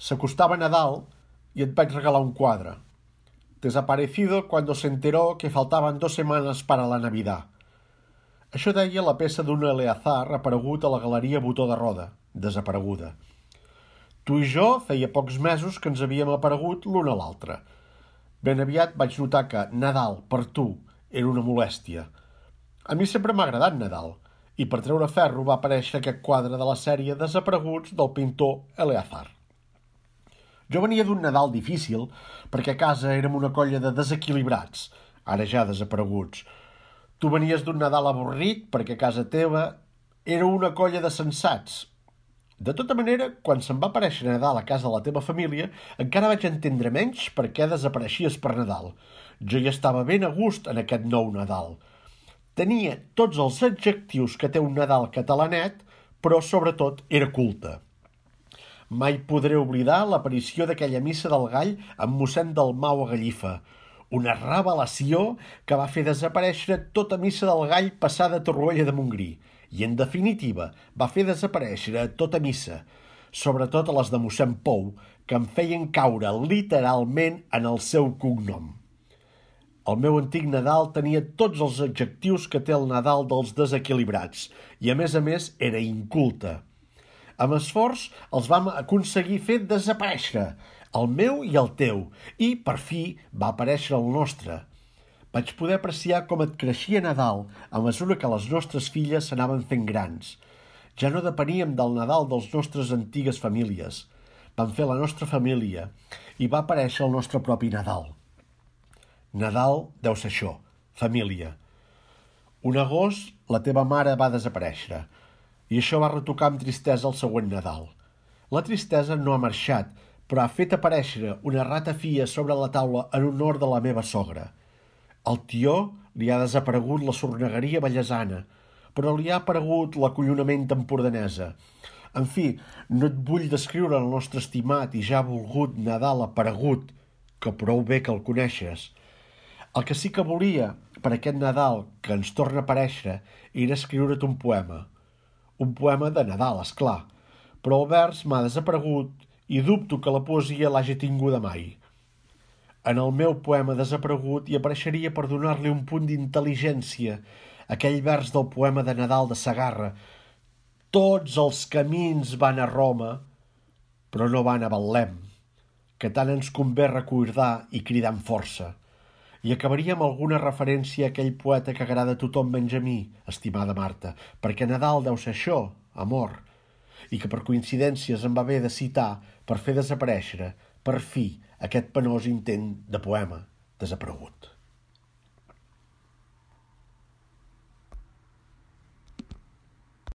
S'acostava Nadal y et vaig regalar un quadre. Desaparecido cuando se enteró que faltaban 2 semanas para la Navidad. Això deia la peça d'un Eleazar aparegut a la Galeria Botó de Roda, desapareguda. Tu i jo feia pocs mesos que ens havíem aparegut l'un a l'altre. Ben aviat vaig notar que Nadal, per tu, era una molèstia. A mi sempre m'ha agradat Nadal, i per treure ferro va aparèixer aquest quadre de la sèrie Desapareguts del pintor Eleazar. Jo venia d'un Nadal difícil, perquè a casa érem una colla de desequilibrats, ara ja desapareguts. Tu venies d'un Nadal avorrit, perquè a casa teva era una colla de sensats. De tota manera, quan se'm va aparèixer Nadal a casa de la teva família, encara vaig entendre menys per què desapareixies per Nadal. Jo ja estava ben a gust en aquest nou Nadal. Tenia tots els adjectius que té un Nadal catalanet, però sobretot era culte. Mai podré oblidar l'aparició d'aquella missa del gall amb mossèn Dalmau a Gallifa, una revelació que va fer desaparèixer tota missa del gall passada a Torroella de Montgrí i, en definitiva, va fer desaparèixer tota missa, sobretot a les de mossèn Pou, que em feien caure literalment en el seu cognom. El meu antic Nadal tenia tots els adjectius que té el Nadal dels desequilibrats i, a més, era inculte. Amb esforç els vam aconseguir fer desaparèixer, el meu i el teu, i, per fi, va aparèixer el nostre. Vaig poder apreciar com et creixia Nadal a mesura que les nostres filles s'anaven fent grans. Ja no depeníem del Nadal dels nostres antigues famílies. Vam fer la nostra família i va aparèixer el nostre propi Nadal. Nadal deu ser això, família. Un agost la teva mare va desaparèixer i això va retocar amb tristesa el següent Nadal. La tristesa no ha marxat, però ha fet aparèixer una ratafia sobre la taula en honor de la meva sogra. Al tió li ha desaparegut la sornegueria bellesana, però li ha aparegut l'acollonament empordanesa. En fi, no et vull descriure el nostre estimat i ja volgut Nadal aparegut, que prou bé que el coneixes. El que sí que volia per aquest Nadal que ens torna a aparèixer era escriure't un poema. Un poema de Nadal, és clar, però el vers m'ha desaparegut i dubto que la poesia l'hagi tinguda mai. En el meu poema desaparegut hi apareixeria per donar-li un punt d'intel·ligència, aquell vers del poema de Nadal de Segarra. Tots els camins van a Roma, però no van a Betlem, que tant ens convé recordar i cridar amb força. I acabaria amb alguna referència a aquell poeta que agrada a tothom menys a mi, estimada Marta, perquè Nadal deu ser això, amor, i que per coincidències em va haver de citar per fer desaparèixer, per fi, aquest penós intent de poema desaparegut.